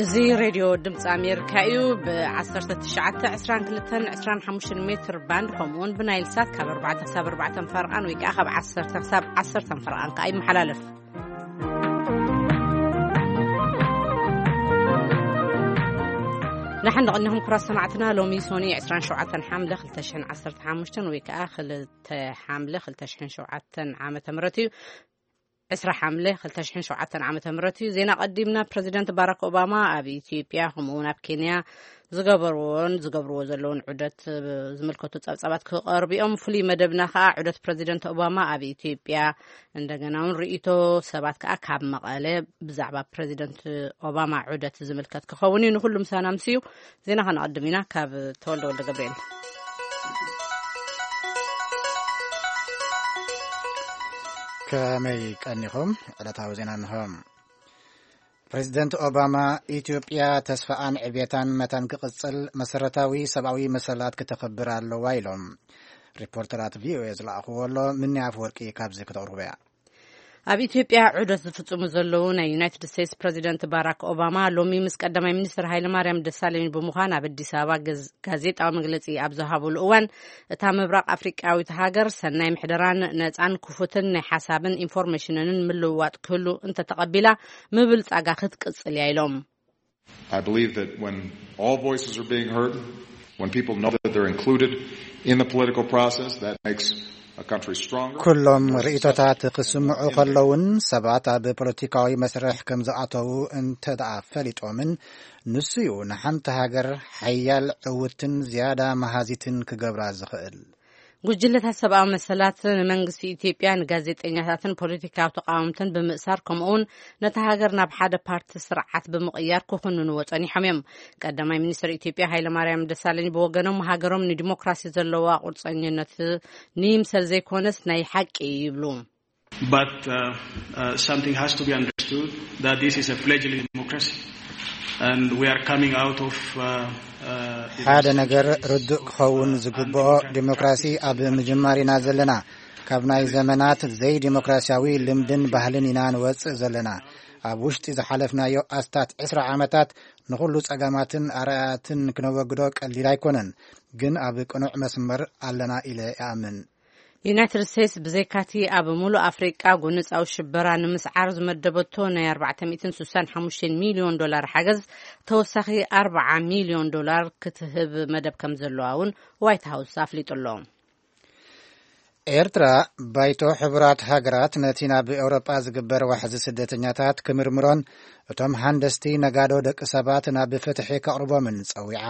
እዚ ሬድዮ ድምፂ ኣሜሪካ እዩ። ብ1922-25 ሜትር ባንድ፣ ከምኡውን ብናይል ሳት ካብ ኣርባዕተ ክሳብ ኣርባዕተ ፈርቓን ወይ ከዓ ካብ ዓሰርተ ክሳብ ዓሰርተ ፈርቓን ከዓ ይመሓላለፍ። ንሓን ደቐኒኹም ኩራት ሰማዕትና። ሎሚ ሶኒ 27 ሓምለ 2015 ወይ ከዓ 2 ሓምለ 2007 ዓመተ ምህረት እዩ። 20 ሓምለ 2007 ዓመተ ምህረት እዩ። ዜና ቀዲምና። ፕሬዚደንት ባራክ ኦባማ ኣብ ኢትዮጵያ ከምኡ እውን ኣብ ኬንያ ዝገበርዎን ዝገብርዎ ዘለውን ዑደት ዝምልከቱ ጸብጻባት ክቐርቡ እዮም። ፍሉይ መደብና ከኣ ዑደት ፕሬዚደንት ኦባማ ኣብ ኢትዮጵያ፣ እንደገና እውን ርእይቶ ሰባት ከኣ ካብ መቐለ ብዛዕባ ፕሬዚደንት ኦባማ ዑደት ዝምልከት ክኸውን እዩ። ንኹሉ ምሳና ምስዩ። ዜና ከነቐድም ኢና። ካብ ተወልደ ወልደ ገብርኤል። ከመይ ቀኒኹም? ዕለታዊ ዜና እንሆ። ፕሬዚደንት ኦባማ፣ ኢትዮጵያ ተስፋኣን ዕብየታን መታን ክቕጽል መሰረታዊ ሰብኣዊ መሰላት ክተኽብር ኣለዋ ኢሎም። ሪፖርተራት ቪኦኤ ዝለኣኽዎ ኣሎ። ምኒ ኣፍወርቂ ካብዚ ክተቕርቦ እያ። ኣብ ኢትዮጵያ ዑደት ዝፍጽሙ ዘለዉ ናይ ዩናይትድ ስቴትስ ፕሬዚደንት ባራክ ኦባማ፣ ሎሚ ምስ ቀዳማይ ሚኒስትር ሃይለማርያም ደሳለኝ ብምዃን ኣብ ኣዲስ ኣበባ ገዝ-፣ ጋዜጣዊ መግለጺ ኣብ ዝሃብሉ እዋን፣ እታ ምብራቕ ኣፍሪቃዊት ሃገር ሰናይ ምሕደራን ነጻን ክፉትን ናይ ሓሳብን ኢንፎርሜሽንን ምልውዋጥ ክህሉ እንተተቐቢላ፣ ምብልጻጋ ክትቅጽል እያ ኢሎም። I believe that when all voices are being heard, when people know that they're included in the political process, that makes a country stronger. ኩሎም ርእይቶታት ክስምዑ ከለውን ሰባት ኣብ ፖለቲካዊ መስርሕ ከም ዝኣተዉ እንተ ደኣ ፈሊጦምን፣ ንሱ እዩ ንሓንቲ ሃገር ሓያል፣ ዕውትን ዝያዳ መሃዚትን ክገብራ ዝኽእል። ጉጅለታት ሰብኣዊ መሰላት ንመንግስቲ ኢትዮጵያ፣ ንጋዜጠኛታትን ፖለቲካዊ ተቃወምትን ብምእሳር፣ ከምኡውን ነታ ሃገር ናብ ሓደ ፓርቲ ስርዓት ብምቕያር ክኹንንዎ ጸኒሖም እዮም። ቀዳማይ ሚኒስትር ኢትዮጵያ ሃይለማርያም ደሳለኝ ብወገኖም፣ ሃገሮም ንዲሞክራሲ ዘለዋ ቁርጸኝነት ንይምሰል ዘይኮነስ ናይ ሓቂ እዩ ይብሉ። But uh, uh, something has to be understood that this is a fledgling democracy and we are coming out of uh, uh, ሓደ ነገር ርዱእ ክኸውን ዝግብኦ፣ ዲሞክራሲ ኣብ ምጅማር ኢና ዘለና። ካብ ናይ ዘመናት ዘይዲሞክራሲያዊ ልምድን ባህልን ኢና ንወጽእ ዘለና። ኣብ ውሽጢ ዝሓለፍናዮ ኣስታት ዕስራ ዓመታት ንኹሉ ጸገማትን ኣርኣያትን ክነወግዶ ቀሊል ኣይኮነን፣ ግን ኣብ ቅኑዕ መስመር ኣለና ኢለ እኣምን። ዩናይትድ ስቴትስ ብዘይካቲ ኣብ ሙሉእ ኣፍሪቃ ጎነጻዊ ሽበራ ንምስዓር ዝመደበቶ ናይ ኣርባዕተ ሚእትን ስሳን ሓሙሽተን ሚልዮን ዶላር ሓገዝ፣ ተወሳኺ ኣርብዓ ሚልዮን ዶላር ክትህብ መደብ ከም ዘለዋ እውን ዋይት ሃውስ ኣፍሊጡ ኣሎ። ኤርትራ፣ ባይቶ ሕቡራት ሃገራት ነቲ ናብ ኤውሮጳ ዝግበር ዋሕዚ ስደተኛታት ክምርምሮን እቶም ሃንደስቲ ነጋዶ ደቂ ሰባት ናብ ፍትሒ ከቕርቦምን ጸዊዓ።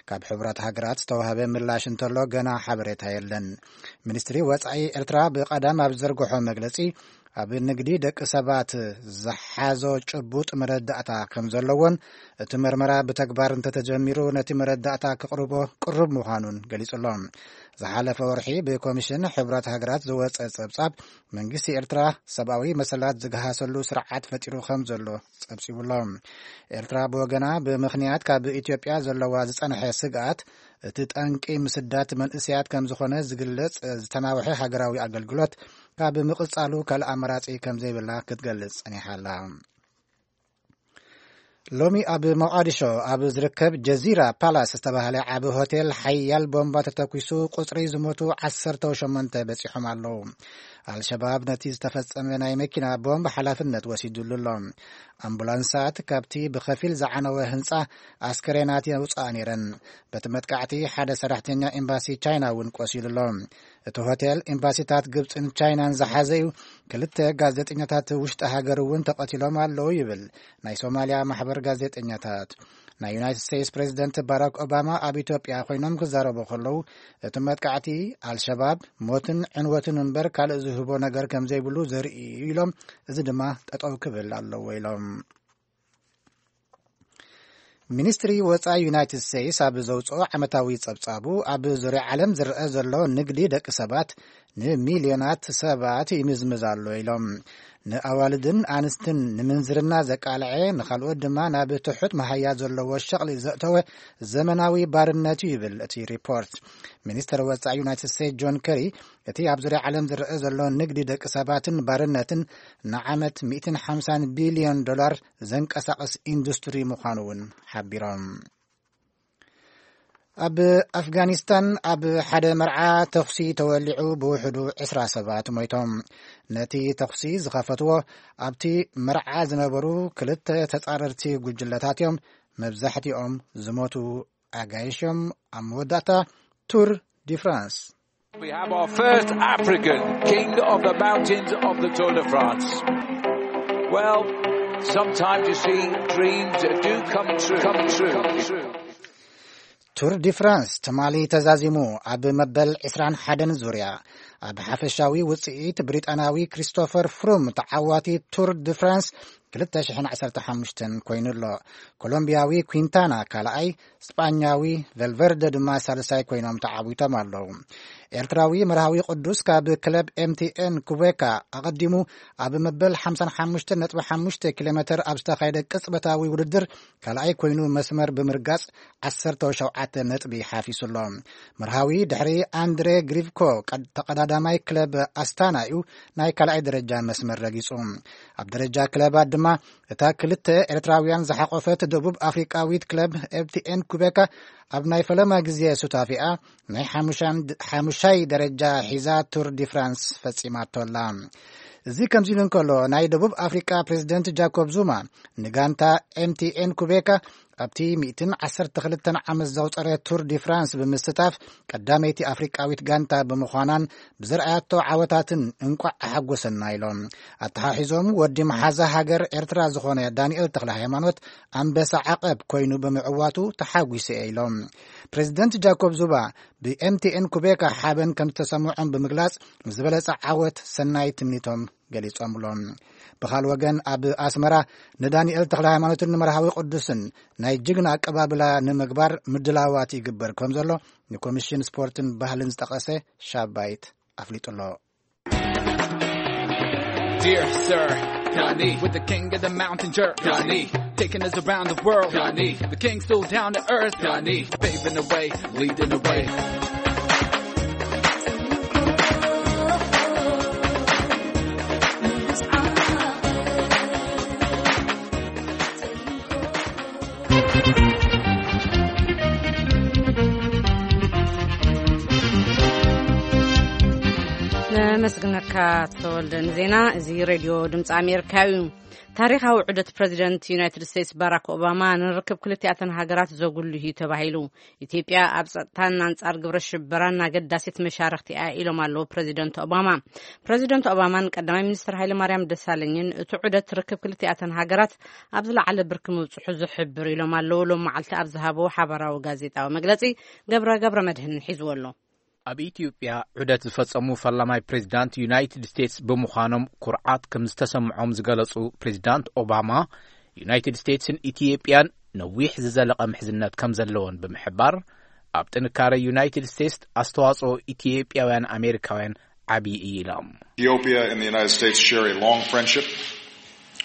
ካብ ሕቡራት ሃገራት ዝተዋህበ ምላሽ እንተሎ፣ ገና ሓበሬታ የለን። ሚኒስትሪ ወጻኢ ኤርትራ ብቐዳም ኣብ ዝዘርግሖ መግለጺ፣ ኣብ ንግዲ ደቂ ሰባት ዝሓዞ ጭቡጥ መረዳእታ ከም ዘለዎን፣ እቲ መርመራ ብተግባር እንተተጀሚሩ ነቲ መረዳእታ ክቕርቦ ቅሩብ ምዃኑን ገሊጹ ኣሎ። ዝሓለፈ ወርሒ ብኮሚሽን ሕብራት ሃገራት ዝወጸ ጸብጻብ፣ መንግስቲ ኤርትራ ሰብኣዊ መሰላት ዝገሃሰሉ ስርዓት ፈጢሩ ከም ዘሎ ጸብጺቡ ኣሎ። ኤርትራ ብወገና፣ ብምኽንያት ካብ ኢትዮጵያ ዘለዋ ዝጸንሐ ስግኣት፣ እቲ ጠንቂ ምስዳት መንእሰያት ከም ዝኾነ ዝግለጽ ዝተናውሐ ሃገራዊ ኣገልግሎት ካብ ምቕጻሉ ካልእ ኣማራጺ ከም ዘይብላ ክትገልጽ ጸኒሓ ኣላ። ሎሚ ኣብ ሞቓዲሾ ኣብ ዝርከብ ጀዚራ ፓላስ ዝተባህለ ዓቢ ሆቴል ሓያል ቦምባ ተተኲሱ፣ ቁጽሪ ዝሞቱ ዓሰርተ ሸሞንተ በጺሖም ኣለዉ። ኣልሸባብ ነቲ ዝተፈጸመ ናይ መኪና ቦምብ ሓላፍነት ወሲዱሉ ኣሎ። ኣምቡላንሳት ካብቲ ብኸፊል ዝዓነወ ህንጻ ኣስከሬናት የውጽኣ ነይረን። በቲ መጥቃዕቲ ሓደ ሰራሕተኛ ኤምባሲ ቻይና እውን ቆሲሉ ኣሎ። እቲ ሆቴል ኤምባሲታት ግብጽን ቻይናን ዝሓዘ እዩ። ክልተ ጋዜጠኛታት ውሽጢ ሃገር እውን ተቐቲሎም ኣለዉ ይብል ናይ ሶማልያ ማሕበር ጋዜጠኛታት። ናይ ዩናይትድ ስቴትስ ፕሬዚደንት ባራክ ኦባማ ኣብ ኢትዮጵያ ኮይኖም ክዛረቡ ከለዉ፣ እቲ መጥቃዕቲ ኣልሸባብ ሞትን ዕንወትን እምበር ካልእ ዝህቦ ነገር ከም ዘይብሉ ዘርኢ እዩ ኢሎም፣ እዚ ድማ ጠጠው ክብል ኣለዎ ኢሎም። ሚኒስትሪ ወጻኢ ዩናይትድ ስቴትስ ኣብ ዘውጽኦ ዓመታዊ ጸብጻቡ፣ ኣብ ዙርያ ዓለም ዝረአ ዘሎ ንግዲ ደቂ ሰባት ንሚልዮናት ሰባት ይምዝምዝ ኣሎ ኢሎም። ንኣዋልድን ኣንስትን ንምንዝርና ዘቃልዐ፣ ንኻልኦት ድማ ናብ ትሑት መሃያ ዘለዎ ሸቕሊ ዘእተወ ዘመናዊ ባርነት እዩ ይብል እቲ ሪፖርት። ሚኒስተር ወጻኢ ዩናይትድ ስቴትስ ጆን ከሪ፣ እቲ ኣብ ዙርያ ዓለም ዝረአ ዘሎ ንግዲ ደቂ ሰባትን ባርነትን ንዓመት ሚእትን ሓምሳን ቢልዮን ዶላር ዘንቀሳቕስ ኢንዱስትሪ ምዃኑ እውን ሓቢሮም። ኣብ ኣፍጋኒስታን ኣብ ሓደ መርዓ ተኹሲ ተወሊዑ ብውሕዱ ዕስራ ሰባት ሞይቶም። ነቲ ተኹሲ ዝኸፈትዎ ኣብቲ መርዓ ዝነበሩ ክልተ ተጻረርቲ ጉጅለታት እዮም። መብዛሕትኦም ዝሞቱ ኣጋይሾም ኣብ መወዳእታ ቱር ዲ ፍራንስ። We have our first African king of the mountains of the Tour de France. Well, sometimes you see dreams that do come true. Come true. ቱር ዲ ፍራንስ ትማሊ ተዛዚሙ ኣብ መበል ዕስራን ሓደን ዙርያ ኣብ ሓፈሻዊ ውጽኢት ብሪጣናዊ ክሪስቶፈር ፍሩም ተዓዋቲ ቱር ዲ ፍራንስ ክልተ ሽሕን ዓሰርተ ሓሙሽተን ኮይኑ ኣሎ። ኮሎምቢያዊ ኩንታና ካልኣይ፣ ስጳኛዊ ቨልቨርደ ድማ ሳልሳይ ኮይኖም ተዓዊቶም ኣለዉ። ኤርትራዊ መርሃዊ ቅዱስ ካብ ክለብ ኤምቲኤን ኩቤካ ኣቐዲሙ ኣብ መበል ሓምሳን ሓሙሽተን ነጥቢ ሓሙሽተ ኪሎ ሜተር ኣብ ዝተኻየደ ቅጽበታዊ ውድድር ካልኣይ ኮይኑ መስመር ብምርጋጽ ዓሰርተ ሸውዓተ ነጥቢ ሓፊሱ ኣሎ። መርሃዊ ድሕሪ ኣንድሬ ግሪቭኮ ቀድ-፣ ተቐዳዳማይ ክለብ ኣስታና እዩ ናይ ካልኣይ ደረጃ መስመር ረጊጹ። ኣብ ደረጃ ክለባት ድማ እታ ክልተ ኤርትራውያን ዝሓቖፈት ደቡብ ኣፍሪቃዊት ክለብ ኤምቲኤን ኩቤካ ኣብ ናይ ፈለማ ግዜ ሱታፊኣ ናይ ሓሙሻን-፣ ሓሙሻይ ደረጃ ሒዛ ቱር ዲ ፍራንስ ፈጺማቶ ኣላ። እዚ ከምዚ ኢሉ እንከሎ፣ ናይ ደቡብ ኣፍሪቃ ፕሬዚደንት ጃኮብ ዙማ ንጋንታ ኤምቲኤን ኩቤካ ኣብቲ ሚእትን ዓሰርተ ክልተን ዓመት ዘቑጸረ ቱር ዲ ፍራንስ ብምስታፍ ቀዳመይቲ ኣፍሪቃዊት ጋንታ ብምዃናን ብዘርኣያቶ ዓወታትን እንቋዕ ኣሓጎሰና ኢሎም። ኣተሓሒዞም ወዲ መሓዛ ሃገር ኤርትራ ዝኾነ ዳንኤል ተኽለ ሃይማኖት ኣንበሳ ዓቐብ ኮይኑ ብምዕዋቱ ተሓጒሰ ኢሎም። ፕሬዚደንት ጃኮብ ዙማ ብኤምቲኤን ኩቤካ ሓበን ከም ዝተሰምዖም ብምግላጽ ንዝበለጸ ዓወት ሰናይ ትምኒቶም ገሊጾምሎም። ብኻል ወገን ኣብ ኣስመራ ንዳንኤል ተኽለ ሃይማኖትን ንመርሃዊ ቅዱስን ናይ ጅግና ኣቀባብላ ንምግባር ምድላዋት ይግበር ከም ዘሎ ንኮሚሽን ስፖርትን ባህልን ዝጠቐሰ ሻባይት ኣፍሊጡ ኣሎ። Dear Sir Ghani, with the king of the mountain jerk Ghani, taking us around the world Ghani, the king so down to earth Ghani, paving the way, leading the way. ነመስግነካ ተወልደ ንዜና። እዚ ሬድዮ ድምፂ ኣሜሪካ እዩ። ታሪኻዊ ዑደት ፕረዚደንት ዩናይትድ ስቴትስ ባራክ ኦባማ ንርክብ ክልቲኣተን ሃገራት ዘጉልህ እዩ ተባሂሉ። ኢትዮጵያ ኣብ ጸጥታን ኣንጻር ግብረ ሽበራን ኣገዳሲት መሻርኽቲ እያ ኢሎም ኣለዉ ፕረዚደንት ኦባማ። ፕረዚደንት ኦባማን ቀዳማይ ሚኒስትር ሃይለማርያም ደሳለኝን እቲ ዑደት ርክብ ክልቲኣተን ሃገራት ኣብ ዝለዓለ ብርኪ ምብጽሑ ዝሕብር ኢሎም ኣለዉ። ሎም መዓልቲ ኣብ ዝሃበዎ ሓባራዊ ጋዜጣዊ መግለጺ ገብረ ገብረ መድህን ሒዝዎ ኣሎ። ኣብ ኢትዮጵያ ዑደት ዝፈጸሙ ፈላማይ ፕሬዚዳንት ዩናይትድ ስቴትስ ብምዃኖም ኩርዓት ከም ዝተሰምዖም ዝገለጹ ፕሬዚዳንት ኦባማ፣ ዩናይትድ ስቴትስን ኢትዮጵያን ነዊሕ ዝዘለቐ ምሕዝነት ከም ዘለወን ብምሕባር፣ ኣብ ጥንካረ ዩናይትድ ስቴትስ ኣስተዋጽኦ ኢትዮጵያውያን ኣሜሪካውያን ዓብዪ እዩ ኢሎም። Ethiopia and the United States share a long friendship.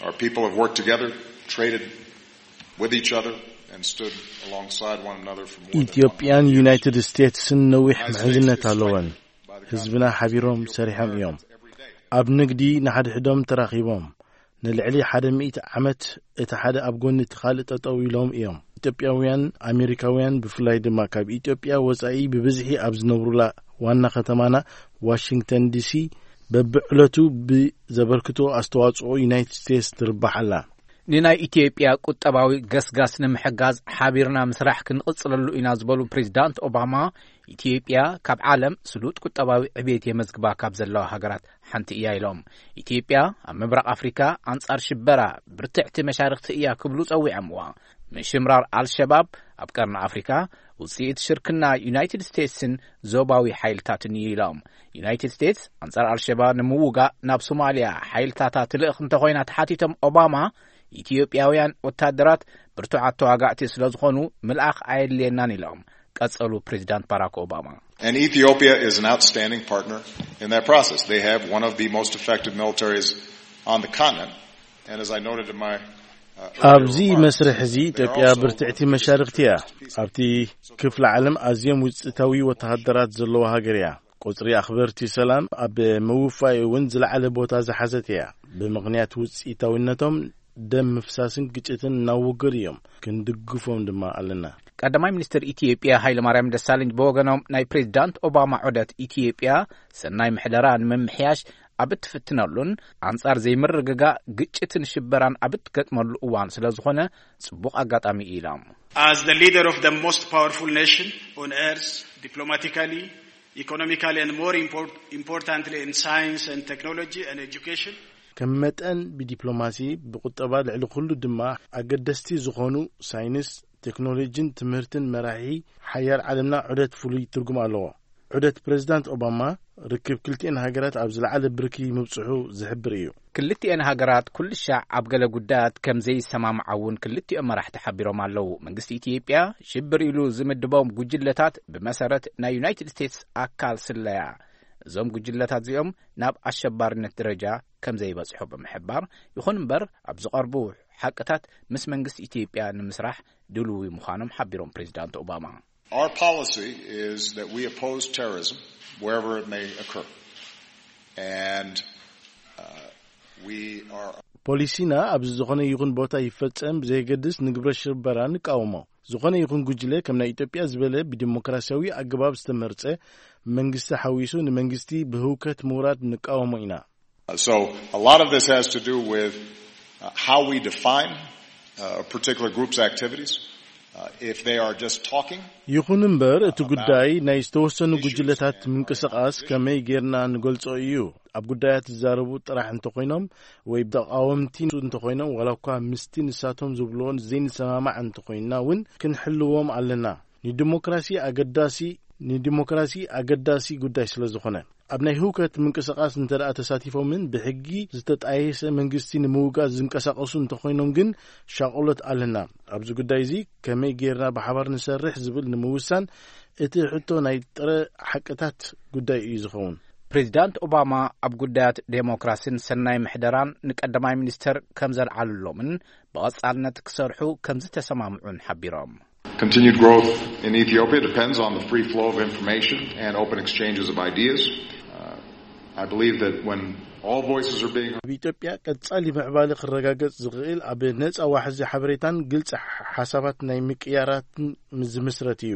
Our people have worked together, traded with each other, and stood alongside one another for more than ኢትዮጵያን one hundred years. ዩናይትድ ስቴትስን ነዊሕ ምሕዝነት ኣለወን። ህዝብና ሓቢሮም ሰሪሖም እዮም። ኣብ ንግዲ ንሓድሕዶም ተራኺቦም ንልዕሊ ሓደ ሚእቲ ዓመት እቲ ሓደ ኣብ ጎኒ እቲ ካልእ ጠጠው ኢሎም እዮም። ኢትዮጵያውያን ኣሜሪካውያን ብፍላይ ድማ ካብ ኢትዮጵያ ወጻኢ ብብዝሒ ኣብ ዝነብሩላ ዋና ከተማና ዋሽንግተን ዲሲ በብዕለቱ ብዘበርክቶ ኣስተዋጽኦ ዩናይትድ ስቴትስ ትርባሕ ኣላ። ንናይ ኢትዮጵያ ቁጠባዊ ገስጋስ ንምሕጋዝ ሓቢርና ምስራሕ ክንቕጽለሉ ኢና ዝበሉ ፕሬዚዳንት ኦባማ፣ ኢትዮጵያ ካብ ዓለም ስሉጥ ቁጠባዊ ዕቤት የመዝግባ ካብ ዘለዋ ሃገራት ሓንቲ እያ ኢሎም። ኢትዮጵያ ኣብ ምብራቕ ኣፍሪካ ኣንጻር ሽበራ ብርትዕቲ መሻርክቲ እያ ክብሉ ጸዊዖምዋ። ምሽምራር ኣልሸባብ ኣብ ቀርኒ ኣፍሪካ ውፅኢት ሽርክና ዩናይትድ ስቴትስን ዞባዊ ሓይልታትን እዩ ኢሎም። ዩናይትድ ስቴትስ ኣንጻር ኣልሸባብ ንምውጋእ ናብ ሶማልያ ሓይልታታ ትልእኽ እንተኾይና ተሓቲቶም ኦባማ፣ ኢትዮጵያውያን ወታደራት ብርቱዓት ተዋጋእቲ ስለ ዝኾኑ ምልኣኽ ኣየድልየናን ኢሎም ቀጸሉ ፕሬዚዳንት ባራክ ኦባማ። And Ethiopia is an outstanding partner in that process. They have one of the most effective militaries on the continent. And as I noted in my uh, ኣብዚ earlier remarks, መስርሕ እዚ they ኢትዮጵያ also ብርትዕቲ መሻርክቲ እያ። ኣብቲ ክፍለ ዓለም ኣዝዮም ውፅኢታዊ ወተሃደራት ዘለዋ ሃገር እያ። ቁፅሪ ኣኽበርቲ ሰላም ኣብ ምውፋይ እውን ዝለዓለ ቦታ ዝሓዘት እያ። ብምኽንያት ውፅኢታዊነቶም ደም ምፍሳስን ግጭትን እናወገዱ እዮም። ክንድግፎም ድማ ኣለና። ቀዳማይ ሚኒስትር ኢትዮጵያ ሃይለማርያም ደሳለኝ ብወገኖም፣ ናይ ፕሬዚዳንት ኦባማ ዑደት ኢትዮጵያ ሰናይ ምሕደራ ንምምሕያሽ ኣብ እትፍትነሉን ኣንጻር ዘይምርግጋእ፣ ግጭትን ሽበራን ኣብ እትገጥመሉ እዋን ስለ ዝኾነ ጽቡቕ ኣጋጣሚ እዩ ኢሎም። As the leader of the most powerful nation on earth, diplomatically, economically, and more import- importantly, in science and technology and education, ከም መጠን ብዲፕሎማሲ፣ ብቁጠባ፣ ልዕሊ ኩሉ ድማ ኣገደስቲ ዝኾኑ ሳይንስ፣ ቴክኖሎጂን ትምህርትን መራሒ ሓያል ዓለምና ዑደት ፍሉይ ትርጉም ኣለዎ። ዑደት ፕሬዚዳንት ኦባማ ርክብ ክልቲኤን ሃገራት ኣብ ዝለዓለ ብርኪ ምብጽሑ ዝሕብር እዩ። ክልቲኤን ሃገራት ኩልሻዕ ኣብ ገለ ጉዳያት ከም ዘይሰማምዓ እውን ክልቲኦም መራሕቲ ሓቢሮም ኣለዉ። መንግስቲ ኢትዮጵያ ሽብር ኢሉ ዝምድቦም ጉጅለታት ብመሰረት ናይ ዩናይትድ ስቴትስ ኣካል ስለያ፣ እዞም ጉጅለታት እዚኦም ናብ ኣሸባሪነት ደረጃ ከም ዘይበጽሑ ብምሕባር፣ ይኹን እምበር ኣብ ዝቐርቡ ሓቅታት ምስ መንግስቲ ኢትዮጵያ ንምስራሕ ድልዊ ምዃኖም ሓቢሮም ፕሬዚዳንት ኦባማ። Our policy is that we oppose terrorism wherever it may occur. And uh, we are ፖሊሲና ኣብዚ ዝኾነ ይኹን ቦታ ይፈጸም ብዘየገድስ ንግብረ ሽበራ ንቃወሞ። ዝኾነ ይኹን ጉጅለ ከም ናይ ኢትዮጵያ ዝበለ ብዲሞክራሲያዊ ኣገባብ ዝተመርጸ መንግስቲ ሓዊሱ ንመንግስቲ ብህውከት ምውራድ ንቃወሞ ኢና። Uh, so a lot of this has to do with uh, how we define uh, a particular group's activities. Uh, if they are just talking, ይኹን እምበር እቲ ጉዳይ ናይ ዝተወሰኑ ጉጅለታት ምንቅስቃስ ከመይ ጌርና ንገልጾ እዩ። ኣብ ጉዳያት ዝዛረቡ ጥራሕ እንተኾይኖም ወይ ተቃወምቲ እንተኾይኖም፣ ዋላ እኳ ምስቲ ንሳቶም ዝብልዎ ዘይንሰማማዕ እንተኾይንና እውን ክንሕልዎም ኣለና። ንዲሞክራሲ ኣገዳሲ ንዲሞክራሲ ኣገዳሲ ጉዳይ ስለ ዝኾነ፣ ኣብ ናይ ህውከት ምንቅስቃስ እንተ ደኣ ተሳቲፎምን ብሕጊ ዝተጣየሰ መንግስቲ ንምውጋድ ዝንቀሳቀሱ እንተኾይኖም ግን ሻቕሎት ኣለና። ኣብዚ ጉዳይ እዚ ከመይ ጌርና ብሓባር ንሰርሕ ዝብል ንምውሳን እቲ ሕቶ ናይ ጥረ ሓቅታት ጉዳይ እዩ ዝኸውን። ፕሬዚዳንት ኦባማ ኣብ ጉዳያት ዴሞክራሲን ሰናይ ምሕደራን ንቀዳማይ ሚኒስተር ከም ዘልዓሉሎምን ብቐጻልነት ክሰርሑ ከም ዝተሰማምዑን ሓቢሮም። Continued growth in Ethiopia depends on the free flow of information and open exchanges of ideas. Uh, I believe that when all voices are being ኣብ ኢትዮጵያ ቀጻሊ ምዕባለ ክረጋገጽ ዝኽእል ኣብ ነጻ ዋሕዚ ሓበሬታን ግልጺ ሓሳባት ናይ ምቅያራትን ዝምስረት እዩ።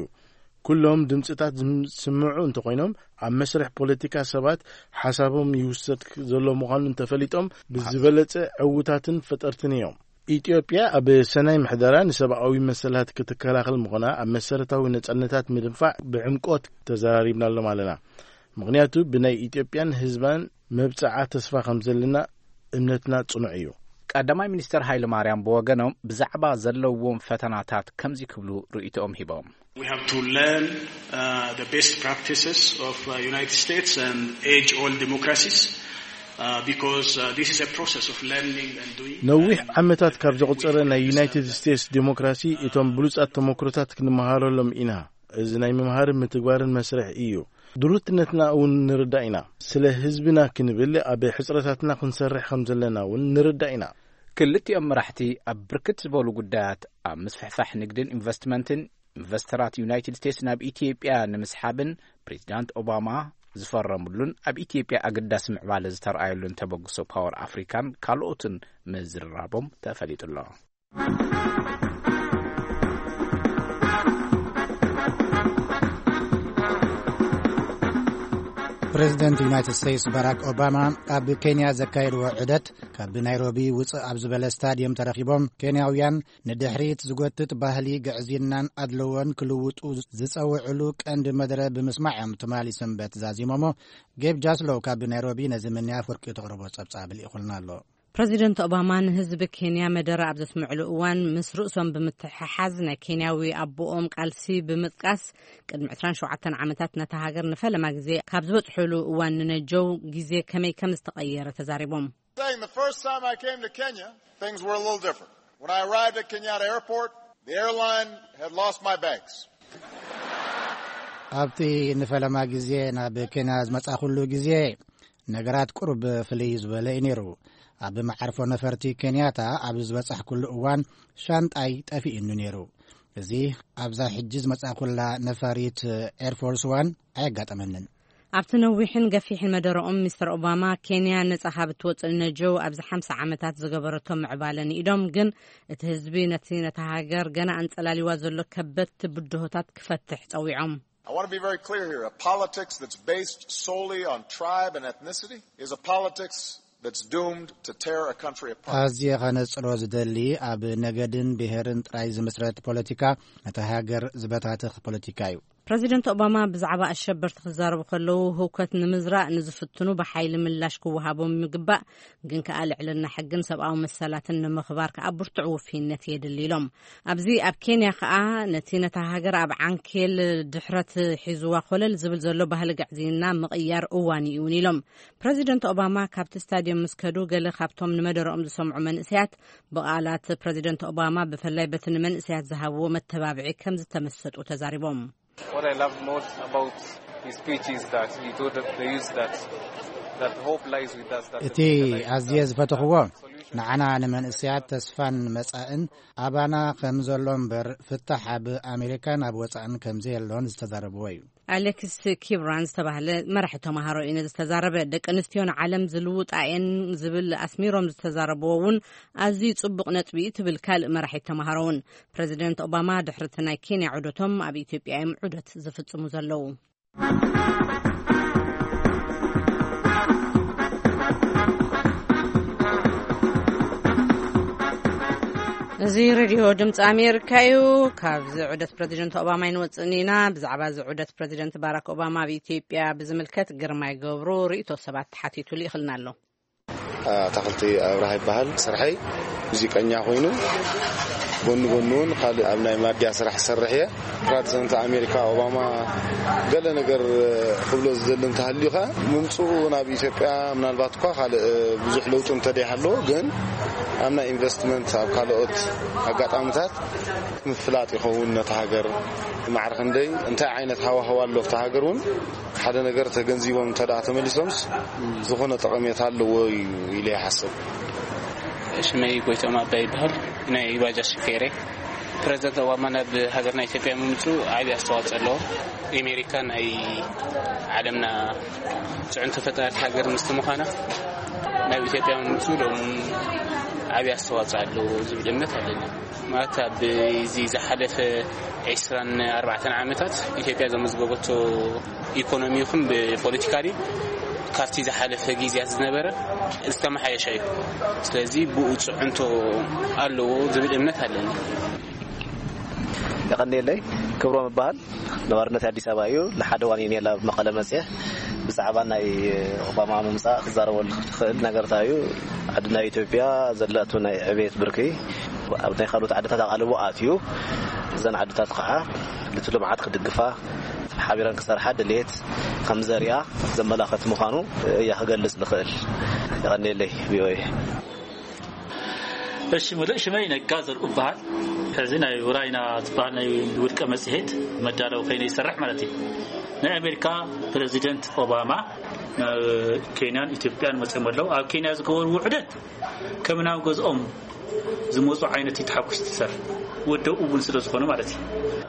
ኩሎም ድምጽታት ዝስምዑ እንተኾይኖም፣ ኣብ መስርሕ ፖለቲካ ሰባት ሓሳቦም ይውሰድ ዘሎ ምዃኑ እንተፈሊጦም ብዝበለጸ ዕውታትን ፈጠርትን እዮም። ኢትዮጵያ ኣብ ሰናይ ምሕደራ ንሰብኣዊ መሰላት ክትከላኸል ምዃና ኣብ መሰረታዊ ነጻነታት ምድንፋዕ ብዕምቆት ተዘራሪብናሎም ኣለና። ምኽንያቱ ብናይ ኢትዮጵያን ህዝባን መብጽዓ ተስፋ ከም ዘለና እምነትና ጽኑዕ እዩ። ቀዳማይ ሚኒስተር ሃይለ ማርያም ብወገኖም ብዛዕባ ዘለዎም ፈተናታት ከምዚ ክብሉ ርእይቶኦም ሂቦም። We have to learn uh, the best practices of uh, United States and age-old democracies uh, because uh, this is a process of learning and doing. ነዊሕ ዓመታት ካብ ዘቑጸረ ናይ ዩናይትድ ስቴትስ ዴሞክራሲ እቶም ብሉጻት ተመክሮታት ክንመሃረሎም ኢና። እዚ ናይ ምምሃርን ምትግባርን መስርሕ እዩ። ድሩትነትና እውን ንርዳእ ኢና። ስለ ህዝብና ክንብል ኣብ ሕጽረታትና ክንሰርሕ ከም ዘለና እውን ንርዳእ ኢና። ክልቲኦም መራሕቲ ኣብ ብርክት ዝበሉ ጉዳያት፣ ኣብ ምስፍሕፋሕ ንግድን ኢንቨስትመንትን፣ ኢንቨስተራት ዩናይትድ ስቴትስ ናብ ኢትዮጵያ ንምስሓብን ፕሬዚዳንት ኦባማ ዝፈረሙሉን ኣብ ኢትዮጵያ ኣገዳሲ ምዕባለ ዝተረኣየሉን ተበግሶ ፓወር ኣፍሪካን ካልኦትን ምዝርራቦም ተፈሊጡ ኣሎ። ፕሬዚደንት ዩናይትድ ስቴትስ ባራክ ኦባማ ኣብ ኬንያ ዘካየድዎ ዑደት፣ ካብ ናይሮቢ ውፅእ ኣብ ዝበለ ስታድየም ተረኺቦም፣ ኬንያውያን ንድሕሪት ዝጎትት ባህሊ ግዕዝይናን ኣድልዎን ክልውጡ ዝፀውዕሉ ቀንዲ መደረ ብምስማዕ እዮም ትማሊ ሰንበት ዛዚሞሞ። ጌብ ጃስሎ ካብ ናይሮቢ ነዚ ምንያፍ ወርቂ ተቕርቦ ፀብፃብ ልኢኹልና ኣሎ። ፕረዚደንት ኦባማ ንህዝቢ ኬንያ መደረ ኣብ ዘስምዕሉ እዋን፣ ምስ ርእሶም ብምትሕሓዝ ናይ ኬንያዊ ኣቦኦም ቃልሲ ብምጥቃስ፣ ቅድሚ ዕስራን ሸውዓተን ዓመታት ነታ ሃገር ንፈለማ ግዜ ካብ ዝበጽሑሉ እዋን ንነጀው ግዜ ከመይ ከም ዝተቐየረ ተዛሪቦም። Saying the first time I came to Kenya, things were a little different. When I arrived at Kenyatta Airport, the airline had lost my bags. ኣብቲ ንፈለማ ግዜ ናብ ኬንያ ዝመጻኹሉ ግዜ፣ ነገራት ቁሩብ ፍልይ ዝበለ እዩ ነይሩ። ኣብ መዓርፎ ነፈርቲ ኬንያታ ኣብ ዝበጻሕኩሉ እዋን ሻንጣይ ጠፊኡኒ ነይሩ። እዚ ኣብዛ ሕጂ ዝመጻእኩላ ነፋሪት ኤርፎርስ ዋን ኣየጋጠመንን። ኣብቲ ነዊሕን ገፊሕን መደረኦም፣ ሚስተር ኦባማ ኬንያ ነጻ ካብ እትወጽእ ነጀው ኣብዚ ሓምሳ ዓመታት ዝገበረቶ ምዕባለ ንኢዶም፣ ግን እቲ ህዝቢ ነቲ፣ ነታ ሃገር ገና ኣንጸላሊዋ ዘሎ ከበድቲ ብድሆታት ክፈትሕ ጸዊዖም። I want to be very clear here. A politics that's based solely on tribe and ethnicity is a politics that's doomed to tear a country apart. ኣዝየ ከነጽሮ ዝደሊ፣ ኣብ ነገድን ብሄርን ጥራይ ዝምስረት ፖለቲካ ነታ ሃገር ዝበታትኽ ፖለቲካ እዩ። ፕረዚደንት ኦባማ ብዛዕባ ኣሸበርቲ ክዛረቡ ከለዉ፣ ህውከት ንምዝራእ ንዝፍትኑ ብሓይሊ ምላሽ ክወሃቦም ይግባእ፣ ግን ከኣ ልዕልና ሕግን ሰብኣዊ መሰላትን ንምኽባር ከኣ ብርቱዕ ውፍይነት የድሊ ኢሎም። ኣብዚ ኣብ ኬንያ ከኣ ነቲ ነታ ሃገር ኣብ ዓንኬል ድሕረት ሒዝዋ ኮለል ዝብል ዘሎ ባህሊ ግዕዝይና ምቕያር እዋን እዩ እውን ኢሎም። ፕረዚደንት ኦባማ ካብቲ ስታድዮም ምስ ከዱ፣ ገለ ካብቶም ንመደረኦም ዝሰምዑ መንእሰያት ብቓላት ፕረዚደንት ኦባማ፣ ብፍላይ በቲ ንመንእሰያት ዝሃብዎ መተባብዒ ከም ዝተመሰጡ ተዛሪቦም። What I love most about his speech is that he told us, they use that, that hope lies with us, that እቲ ኣዝየ ዝፈተኽዎ ንዓና ንመንእሰያት ተስፋን መጻእን ኣባና ከም ዘሎ እምበር፣ ፍታሕ ኣብ ኣሜሪካን ኣብ ወጻእን ከም ዘየሎን ዝተዛረብዎ እዩ። ኣሌክስ ኪብራን ዝተባህለ መራሒ ተማሃሮ እዩ ነዚ ዝተዛረበ። ደቂ ኣንስትዮ ንዓለም ዝልውጣ እየን ዝብል ኣስሚሮም ዝተዛረብዎ እውን ኣዝዩ ጽቡቕ ነጥቢ እዩ ትብል ካልእ መራሒት ተማሃሮ እውን። ፕረዚደንት ኦባማ ድሕሪ እቲ ናይ ኬንያ ዑደቶም ኣብ ኢትዮጵያ እዮም ዑደት ዝፍጽሙ ዘለዉ። እዚ ሬድዮ ድምፂ ኣሜሪካ እዩ። ካብዚ ዑደት ፕረዚደንት ኦባማ ኣይንወፅእን ኢና። ብዛዕባ እዚ ዑደት ፕረዚደንት ባራክ ኦባማ ኣብ ኢትዮጵያ ብዝምልከት ግርማይ ገብሩ ርእይቶ ሰባት ተሓቲቱ ልኢኽልና ኣሎ። ኣታኽልቲ ኣብርሃ ይበሃል። ስርሐይ ሙዚቀኛ ኮይኑ፣ ጎኒ ጎኒ እውን ካልእ ኣብ ናይ ማድያ ስራሕ ዝሰርሕ እየ። ፕረዚደንት ኣሜሪካ ኦባማ ገለ ነገር ክብሎ ዝደሊ እንተሃልዩ ከኣ፣ ምምፅኡ ናብ ኢትዮጵያ ምናልባት እኳ ካልእ ብዙሕ ለውጢ እንተደይሃለዎ፣ ግን ኣብ ናይ ኢንቨስትመንት፣ ኣብ ካልኦት ኣጋጣሚታት ምፍላጥ ይኸውን። ነታ ሃገር ማዕረ ክንደይ፣ እንታይ ዓይነት ሃዋህው ኣሎ ኣብታ ሃገር እውን ሓደ ነገር ተገንዚቦም እንተ ደኣ ተመሊሶምስ፣ ዝኾነ ጠቐሜታ ኣለዎ እዩ ኢለ ይሓስብ። ሽመይ ጎይቶም ኣባይ ይበሃል። ናይ ባጃጅ ሹፌር እየ። ፕረዚደንት ኦባማ ናብ ሃገርና ኢትዮጵያ ምምፅኡ ዓብዪ ኣስተዋፅኦ ኣለዎ። ኣሜሪካ ናይ ዓለምና ፅዕንቶ ፈጣሪት ሃገር ምስቲ ምዃና፣ ናብ ኢትዮጵያ ምምፅኡ ሎም ዓብዪ ኣስተዋፅኦ ኣለዎ ዝብል እምነት ኣለኒ። ማለት ኣብ እዚ ዝሓለፈ ዒስራን ኣርባዕተን ዓመታት ኢትዮጵያ ዘመዝገበቶ ኢኮኖሚ ይኹን ብፖለቲካሊ ካብቲ ዝሓለፈ ግዜያት ዝነበረ ዝተመሓየሸ እዩ። ስለዚ ብኡ ፅዕንቶ ኣለዎ ዝብል እምነት ኣለኒ። የቐንየለይ። ክብሮም እበሃል። ነባርነት ኣዲስ ኣበባ እዩ። ንሓደ ዋን እየ ናብ መቐለ መፅየ። ብዛዕባ ናይ ኦባማ ምምፃእ ክዛረበሉ ዝኽእል ነገር እንታይ እዩ? ዓድና ኢትዮጵያ ዘለቶ ናይ ዕቤት ብርኪ ኣብ ናይ ካልኦት ዓድታት ኣቓልቦ ኣትዩ፣ እዘን ዓድታት ከዓ ነቲ ልምዓት ክድግፋ፣ ሓቢረን ክሰርሓ ድሌት ከም ዘርእያ ዘመላኸት ምዃኑ እያ ክገልጽ ዝኽእል። የቐንየለይ ቪኦኤ። እሺ፣ ሙሉእ ሽመይ ነጋ ዘርኡ እበሃል። ሕዚ ናይ ውራይና ዝበሃል ናይ ውልቀ መጽሔት መዳለዊ ኮይነ ይሰርሕ ማለት እዩ። ናይ ኣሜሪካ ፕረዚደንት ኦባማ ናብ ኬንያን ኢትዮጵያን መጽኦም ኣለዉ። ኣብ ኬንያ ዝገበርዎ ውዕደት ከም ናብ ገዝኦም ዝመጹ ዓይነት እዩ ተሓጉስ ትሰርሕ። ወደው እውን ስለ ዝኾነ ማለት እዩ።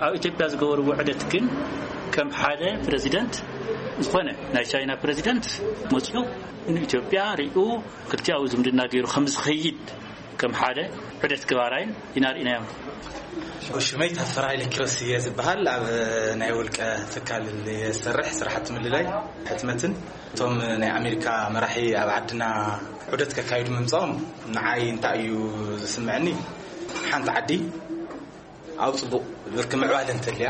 ኣብ ኢትዮጵያ ዝገበርዎ ውዕደት ግን ከም ሓደ ፕረዚደንት ዝኾነ ናይ ቻይና ፕረዚደንት መጽኡ ንኢትዮጵያ ሪኡ ክልቲኣዊ ዝምድና ገይሩ ከም ዝኸይድ ከም ሓደ ዑደት ግባራይን ኢና ርኢናዮም። ሽመይ ታፈራ ኢለ ኪሮስ እየ ዝበሃል። ኣብ ናይ ውልቀ ትካል እየ ዝሰርሕ፣ ስራሕቲ ምልላይ ሕትመትን። እቶም ናይ ኣሜሪካ መራሒ ኣብ ዓድና ዑደት ከካይዱ ምምፃኦም ንዓይ እንታይ እዩ ዝስምዐኒ? ሓንቲ ዓዲ ኣብ ፅቡቕ ብርኪ ምዕባለ እንተልያ፣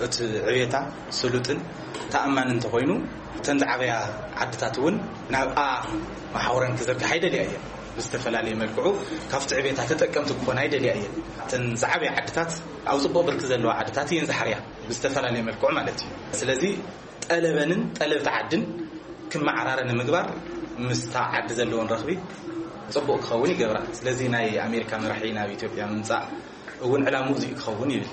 እቲ ዕብየታ ስሉጥን ተኣማኒ እንተኾይኑ፣ እተን ዝዓበያ ዓድታት እውን ናብኣ መሓውረን ክዘርግሓ ይደልያ እየን። ብዝተፈላለየ መልክዑ ካብቲ ዕብየታ ተጠቀምቲ ክኾና ይደልያ እየን። እተን ዝዓበያ ዓድታት ኣብ ፅቡቕ ብርኪ ዘለዋ ዓድታት እየን ዝሓርያ፣ ብዝተፈላለየ መልክዑ ማለት እዩ። ስለዚ ጠለበንን ጠለብቲ ዓድን ክመዓራረ ንምግባር ምስታ ዓዲ ዘለወን ረኽቢ ጽቡቕ ክኸውን ይገብራ። ስለዚ ናይ ኣሜሪካ መራሒ ናብ ኢትዮጵያ ምምጻእ እውን ዕላምኡ እዚኡ ክኸውን ይብል።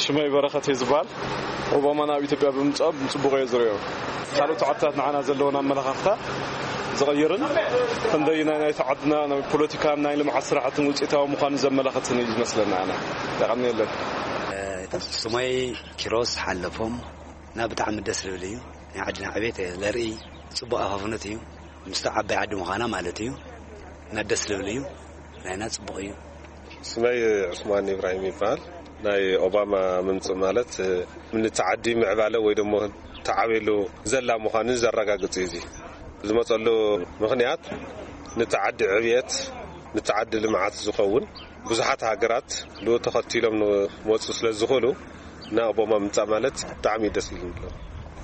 ሽመይ በረኸት እየ ዝበሃል። ኦባማ ናብ ኢትዮጵያ ብምምፅኦም ጽቡቕ እየ ዝርእዮ። ካልኦት ዓድታት ንዓና ዘለወን ኣመለኻኽታ ዝቐይርን ክንደይ ናይ ናይቲ ዓድና ናይ ፖለቲካን ናይ ልምዓት ስራሕትን ውፅኢታዊ ምዃኑ ዘመላኽትን እዩ ዝመስለና። ኣነ የቐንየለን። ስሞይ ኪሮስ ሓለፎም። ና ብጣዕሚ ደስ ዝብል እዩ። ናይ ዓድና ዕቤት ለርኢ ጽቡቕ ኣፋፍነት እዩ። ምስቲ ዓባይ ዓዲ ምዃና ማለት እዩ። እና ደስ ዝብል እዩ። ናይና ጽቡቕ እዩ። ስመይ ዑስማን ኢብራሂም ይበሃል። ናይ ኦባማ ምምፅእ ማለት ንቲ ዓዲ ምዕባለ ወይ ደሞ ተዓብየሉ ዘላ ምዃኑ ዘረጋግፅ እዩ። እዚ ዝመፀሉ ምኽንያት ንቲ ዓዲ ዕብየት፣ ንቲ ዓዲ ልምዓት ዝኸውን ብዙሓት ሃገራት ብኡ ተኸቲሎም ንመፁ ስለ ዝኽእሉ፣ ናይ ኦባማ ምምፃእ ማለት ብጣዕሚ እዩ ደስ ኢሉኒ።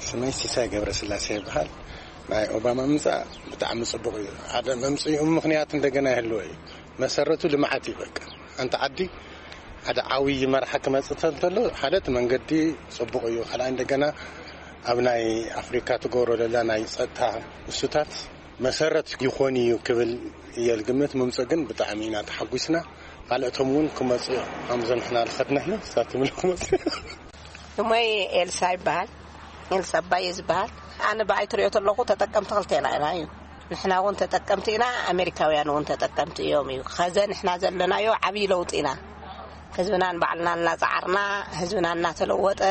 ስመይ ሲሳይ ገብረስላሴ ይበሃል። ናይ ኦባማ ምምፃእ ብጣዕሚ ፅቡቕ እዩ። ሓደ መምፅኡ ምኽንያት እንደገና ይህልዎ እዩ። መሰረቱ ልምዓት እዩ። በቃ ሓንቲ ዓዲ ሓደ ዓብዪ መራሒ ክመፅእ እንተሎ ሓደ እቲ መንገዲ ፅቡቕ እዩ። ካልኣይ እንደገና ኣብ ናይ ኣፍሪካ ትገብሮ ዘላ ናይ ፀጥታ እሱታት መሰረት ይኾን እዩ ክብል እየ ዝግምት። ምምፅኡ ግን ብጣዕሚ ኢና ተሓጒስና። ካልኦቶም እውን ክመፁ እዮም። ከምዞም ንሕና ዝኸድና እዩ ሳትምሉ ክመፁ እዮም። ስሞይ ኤልሳ ይበሃል። ኤልሳ ኣባየ ዝበሃል። ኣነ ብኣይ ትሪኦ ተለኹ ተጠቀምቲ ክልቴና ኢና እዩ። ንሕና እውን ተጠቀምቲ ኢና፣ ኣሜሪካውያን እውን ተጠቀምቲ እዮም እዩ። ከዘ ንሕና ዘለናዮ ዓብዪ ለውጢ ኢና። ህዝብናን ባዕልና እናፀዓርና፣ ህዝብና እናተለወጠ፣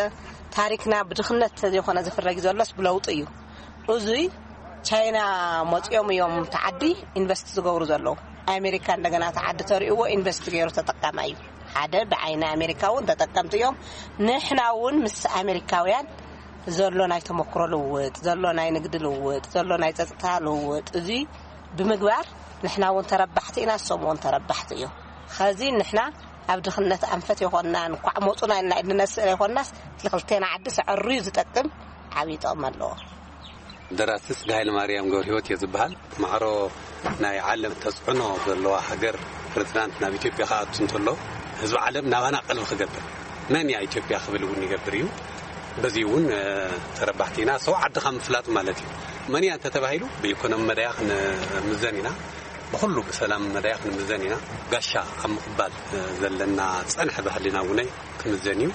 ታሪክና ብድኽነት ተዘይኮነ ዝፍረግ ዘሎስ ብለውጢ እዩ። እዙይ ቻይና መፂኦም እዮም ተዓዲ ኢንቨስት ዝገብሩ ዘለዉ። ኣሜሪካ እንደገና ተዓዲ ተሪእዎ ኢንቨስት ገይሩ ተጠቃማ እዩ። ሓደ ብዓይኒ ኣሜሪካ እውን ተጠቀምቲ እዮም። ንሕና እውን ምስ ኣሜሪካውያን ዘሎ ናይ ተመክሮ ልውውጥ፣ ዘሎ ናይ ንግዲ ልውውጥ፣ ዘሎ ናይ ፀጥታ ልውውጥ እዚ ብምግባር ንሕና እውን ተረባሕቲ ኢና፣ እሶም እውን ተረባሕቲ እዮም። ኸዚ ንሕና ኣብ ድኽነት ኣንፈት የኾንናን ኳዕ መፁና ኢልና ንነስእ የኾንናስ እቲ ክልቴና ዓዲ ሰዐሩ እዩ ዝጠቅም፣ ዓብዪ ጥቕሚ ኣለዎ። ደራሲ ስጋ ሃይለ ማርያም ገብረ ህይወት እየ ዝበሃል። ማዕሮ ናይ ዓለም ተፅዕኖ ዘለዋ ሃገር ፕሬዚዳንት ናብ ኢትዮጵያ ክኣቱ እንተሎ ህዝቢ ዓለም ናባና ቀልቢ ክገብር መን እያ ኢትዮጵያ ክብል እውን ይገብር እዩ። በዚ እውን ተረባሕቲ ኢና። ሰው ዓድኻ ምፍላጥ ማለት እዩ። መን እያ እንተተባሂሉ ብኢኮኖሚ መዳያ ክንምዘን ኢና። ብኩሉ ብሰላም መዳያ ክንምዘን ኢና። ጋሻ ኣብ ምቕባል ዘለና ፀንሐ ባህልና እውን ክምዘን እዩ።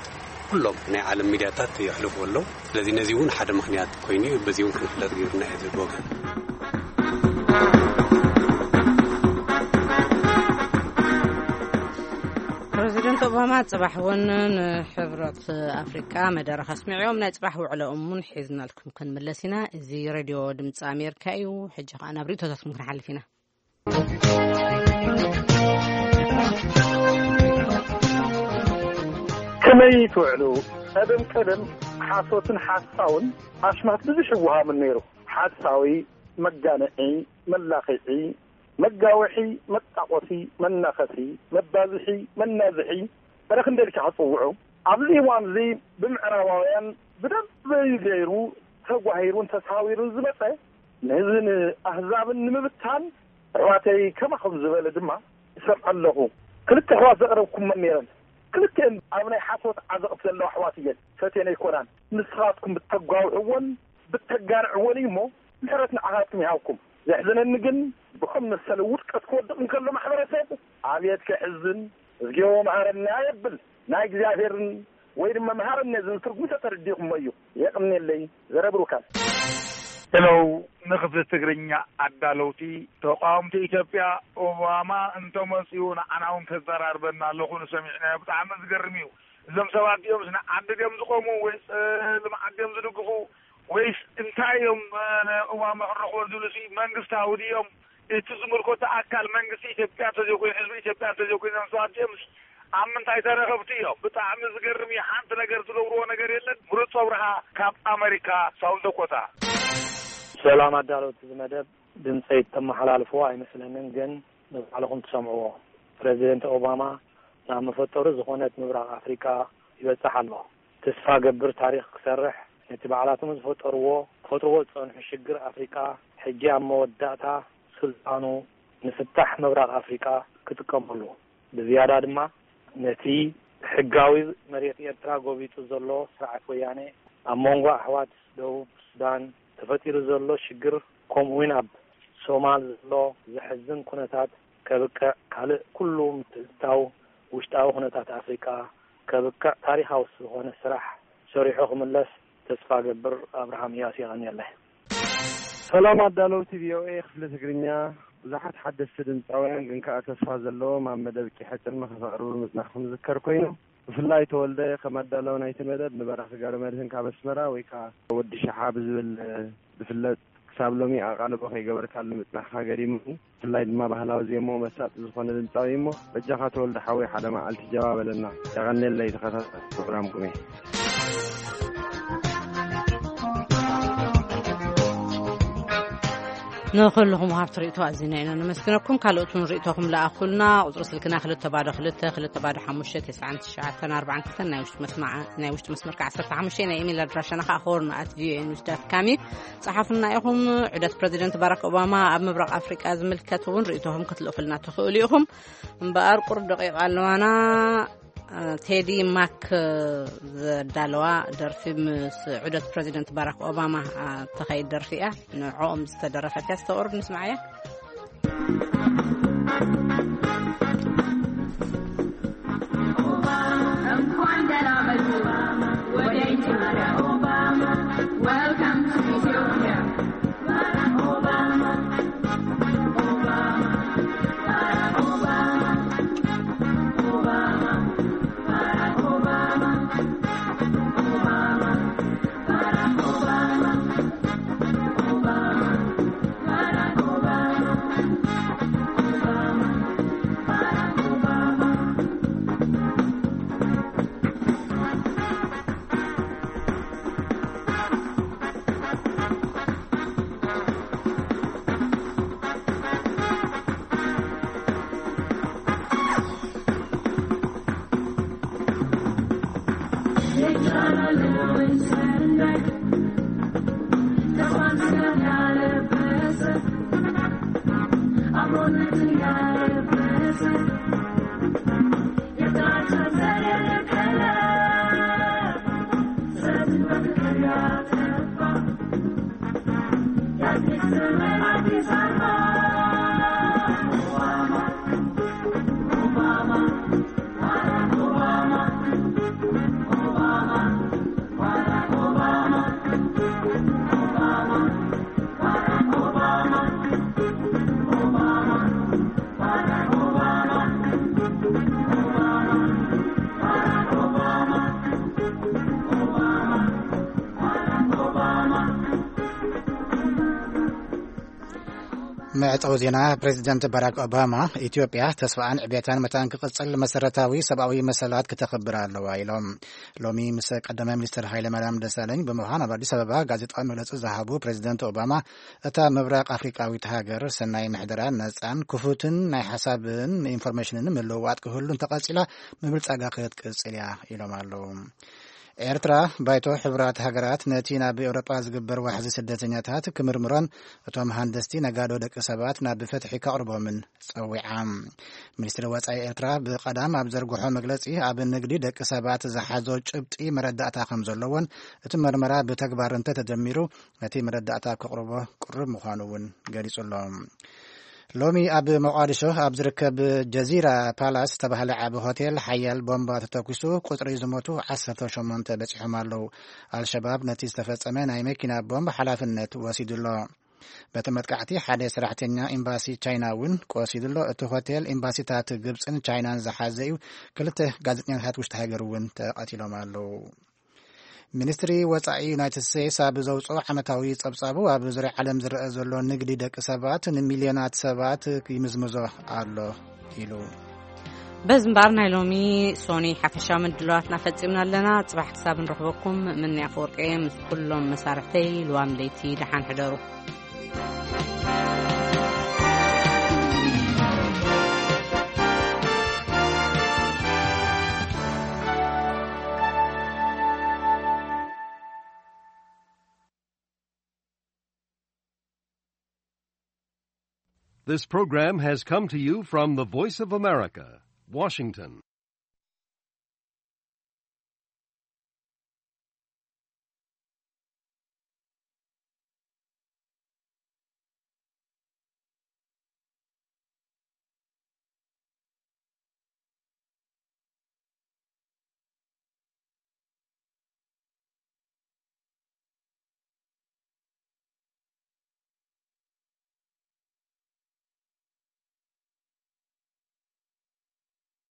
ኩሎም ናይ ዓለም ሚድያታት የሕልፉ ኣለዉ። ስለዚ ነዚ እውን ሓደ ምኽንያት ኮይኑ እዩ። በዚ እውን ክንፍለጥ ገይሩና እዩ ዝብል ወገን። ፕረዚደንት ኦባማ ጽባሕ እውን ንሕብረት ኣፍሪቃ መደረ ከስሚዕዮም ናይ ጽባሕ ውዕለኦም እውን ሒዝናልኩም ክንምለስ ኢና። እዚ ሬድዮ ድምፂ ኣሜሪካ እዩ። ሕጂ ከዓ ናብ ርእቶታትኩም ክንሓልፍ ኢና። ከመይ ትውዕሉ? ቀደም ቀደም ሓሶትን ሓሳውን ኣሽማት ብዙሕ ይወሃምን ነይሩ። ሓሳዊ፣ መጋንዒ፣ መላኺዒ፣ መጋወሒ፣ መጣቆሲ፣ መናኸሲ፣ መባዝሒ፣ መናዝሒ፣ እረ ክንደይ ኢልካ ክጽውዑ። ኣብዚ እዋን እዚ ብምዕራባውያን ብደንቢ ገይሩ ተጓሂሩን ተሳዊሩን ዝመጸ ንህዝብን ኣህዛብን ንምብታን ኣሕዋተይ ከማኹም ዝበለ ድማ ይሰምዐ ኣለኹ። ክልተ ኣሕዋት ዘቕረብኩመን ነይረን። ክልቲኤን ኣብ ናይ ሓሶት ዓዘቕቲ ዘለዋ ኣሕዋት እየን። ፈትየን ኣይኮናን። ንስኻትኩም ብተጓውሕወን ብተጋንዕወን እዩ እሞ ምሕረት ንዓኻትኩም ይሃብኩም። ዘሕዝነኒ ግን ብኸም መሰለ ውድቀት ክወድቕ እንከሎ ማሕበረሰብ ኣብየት ከሕዝን። እዝግዮ መሃረና የብል ናይ እግዚኣብሔርን ወይ ድማ መሃረና ዝብል ትርጉም ተተረዲእኩሞ እዩ። የቕንየለይ። ዘረብሩካን ሄሎ፣ ንክፍሊ ትግርኛ ኣዳለውቲ። ተቃወምቲ ኢትዮጵያ ኦባማ እንተመፅኡ ንዓና እውን ከዘራርበና ኣለኹ ንሰሚዕናዮ። ብጣዕሚ ዝገርም እዩ። እዞም ሰባት እዚኦምስ ንዓዲ ድዮም ዝቆሙ ወይስ ልምዓት ድዮም ዝድግፉ ወይስ እንታይ እዮም ንኦባማ ክንረኽቦ ዝብሉ ሲ መንግስታዊ ድዮም? እቲ ዝምልከቶ ኣካል መንግስቲ ኢትዮጵያ እንተዘይኮይኑ ህዝቢ ኢትዮጵያ እንተዘይኮይኑ እዞም ሰባት እዚኦምስ ኣብ ምንታይ ተረኸብቲ እዮም? ብጣዕሚ ዝገርም እዩ። ሓንቲ ነገር ዝገብርዎ ነገር የለን። ምሩፅ ኣብርሃ ካብ ኣመሪካ ሳውንድ ዳኮታ። ሰላም ኣዳለውቲ እዚ መደብ። ድምፀይ እተመሓላልፍዎ ኣይመስለንን፣ ግን ንባዕልኹም ትሰምዕዎ። ፕረዚደንት ኦባማ ናብ መፈጠሩ ዝኾነት ምብራቕ ኣፍሪቃ ይበጽሕ ኣሎ። ተስፋ ገብር ታሪኽ ክሰርሕ፣ ነቲ ባዕላቶም ዝፈጠርዎ፣ ክፈጥርዎ ዝጸንሑ ሽግር ኣፍሪቃ፣ ሕጂ ኣብ መወዳእታ ስልጣኑ ንፍታሕ ምብራቕ ኣፍሪቃ ክጥቀመሉ፣ ብዝያዳ ድማ ነቲ ሕጋዊ መሬት ኤርትራ ጎቢጡ ዘሎ ስርዓት ወያነ፣ ኣብ መንጎ ኣሕዋት ደቡብ ሱዳን ተፈጢሩ ዘሎ ሽግር፣ ከምኡውን ኣብ ሶማል ዘሎ ዘሕዝን ኩነታት ከብቅዕ፣ ካልእ ኩሉ ምትእትታው ውሽጣዊ ኩነታት ኣፍሪቃ ዘብቅዕ ታሪኻዊ ዝኾነ ስራሕ ሰሪሑ ክምለስ ተስፋ ገብር። ኣብርሃም እያስ፣ የቐንየለይ። ሰላም ኣዳለውቲ ቪ ኦ ኤ ክፍሊ ትግርኛ። ብዙሓት ሓደስቲ ድምፃውያን ግን ከኣ ተስፋ ዘለዎም ኣብ መደብ ቂሐ ጽልሚ ከፈቕርቡ ምጽናሕኩም ዝከር ኮይኑ፣ ብፍላይ ተወልደ ከም ኣዳላዊ ናይቲ መደብ ንበራኺ ጋሪ መድህን ካብ ኣስመራ ወይ ከኣ ወዲ ሸሓ ብዝብል ዝፍለጥ ክሳብ ሎሚ ኣቓልቦ ከይገበርካሉ ምጽናሕካ ገሪሙኒ። ብፍላይ ድማ ባህላዊ ዜማኡ መሳጢ ዝኾነ ድምፃዊ እሞ በጃኻ ተወልደ ሓወይ ሓደ መዓልቲ ጀባ በለና። የቐንየለይ ተኸታታሊ ፕሮግራምኩም እየ። ንኹልኹም ወሃብቲ ርእይቶ ኣዚና ኢና ነመስግነኩም። ካልኦት እውን ርእይቶኹም ለኣኹልና። ቁጽሪ ስልክና ክልተ ባዶ ክልተ፣ ክልተ ባዶ ሓሙሽተ፣ ተስዓን ትሽዓተን ኣርባዓን ክልተን፣ ናይ ውሽጢ መስመዓ-፣ ናይ ውሽጢ መስመር ከኣ ዓሰርተ ሓሙሽተ፣ ናይ ኢሜይል ኣድራሻና ከኣ ሆርን ኣት ቪ ኦ ኤ ኒውስ ዳት ካም እዩ። ጸሓፉና ኢኹም። ዑደት ፕረዚደንት ባራክ ኦባማ ኣብ ምብራቕ ኣፍሪቃ ዝምልከት እውን ርእይቶኹም ክትልእኹልና ትኽእሉ ኢኹም። እምበኣር ቁሩብ ደቂቕ ኣለዋና። ቴዲ ማክ ዘዳለዋ ደርፊ ምስ ዑደት ፕረዚደንት ባራክ ኦባማ እትኸይድ ደርፊ እያ። ንዕኦም ዝተደረፈት እያ፣ ዝተቕርብ ንስምዓያ። መዕጸዊ ዜና። ፕሬዚደንት ባራክ ኦባማ፣ ኢትዮጵያ ተስፋኣን ዕቤታን መታን ክቕጽል መሰረታዊ ሰብኣዊ መሰላት ክተኽብር ኣለዋ ኢሎም። ሎሚ ምስ ቀዳማይ ሚኒስትር ሃይለ ማርያም ደሳለኝ ብምዃን ኣብ ኣዲስ ኣበባ ጋዜጣዊ መግለጺ ዝሃቡ ፕሬዚደንት ኦባማ፣ እታ ምብራቕ ኣፍሪቃዊት ሃገር ሰናይ ምሕደራ፣ ነጻን ክፉትን ናይ ሓሳብን ኢንፎርሜሽንን ምልውዋጥ ክህሉ እንተቐጺላ፣ ምብልጻጋ ክትቅጽል እያ ኢሎም ኣለዉ። ኤርትራ፣ ባይቶ ሕቡራት ሃገራት ነቲ ናብ ኤውሮጳ ዝግበር ዋሕዚ ስደተኛታት ክምርምሮን እቶም ሃንደስቲ ነጋዶ ደቂ ሰባት ናብ ፍትሒ ከቕርቦምን ጸዊዓ። ሚኒስትሪ ወጻኢ ኤርትራ ብቐዳም ኣብ ዘርግሖ መግለጺ፣ ኣብ ንግዲ ደቂ ሰባት ዝሓዞ ጭብጢ መረዳእታ ከም ዘለዎን እቲ መርመራ ብተግባር እንተተጀሚሩ ነቲ መረዳእታ ከቕርቦ ቅሩብ ምዃኑ እውን ገሊጹ ኣሎ። ሎሚ ኣብ ሞቃዲሾ ኣብ ዝርከብ ጀዚራ ፓላስ ዝተባህለ ዓቢ ሆቴል ሓያል ቦምባ ተተኲሱ ቁጽሪ ዝሞቱ ዓሰርተ ሸሞንተ በጺሖም ኣለዉ። ኣልሸባብ ነቲ ዝተፈጸመ ናይ መኪና ቦምብ ሓላፍነት ወሲዱ ኣሎ። በቲ መጥቃዕቲ ሓደ ሰራሕተኛ ኤምባሲ ቻይና እውን ቆሲሉ ኣሎ። እቲ ሆቴል ኤምባሲታት ግብጽን ቻይናን ዝሓዘ እዩ። ክልተ ጋዜጠኛታት ውሽጢ ሃገር እውን ተቐቲሎም ኣለዉ። ሚኒስትሪ ወጻኢ ዩናይትድ ስቴትስ ኣብ ዘውጽኦ ዓመታዊ ጸብጻቡ፣ ኣብ ዙርያ ዓለም ዝረአ ዘሎ ንግዲ ደቂ ሰባት ንሚልዮናት ሰባት ይምዝምዞ ኣሎ ኢሉ። በዚ እምበኣር ናይ ሎሚ ሶኒ ሓፈሻዊ ምድላዋትና ፈጺምና ኣለና። ጽባሕ ክሳብ ንረኽበኩም፣ ምንያ ኣፈወርቂ ምስ ኩሎም መሳርሕተይ ልዋም ለይቲ ደሓን ሕደሩ። This program has come to you from the Voice of America, Washington.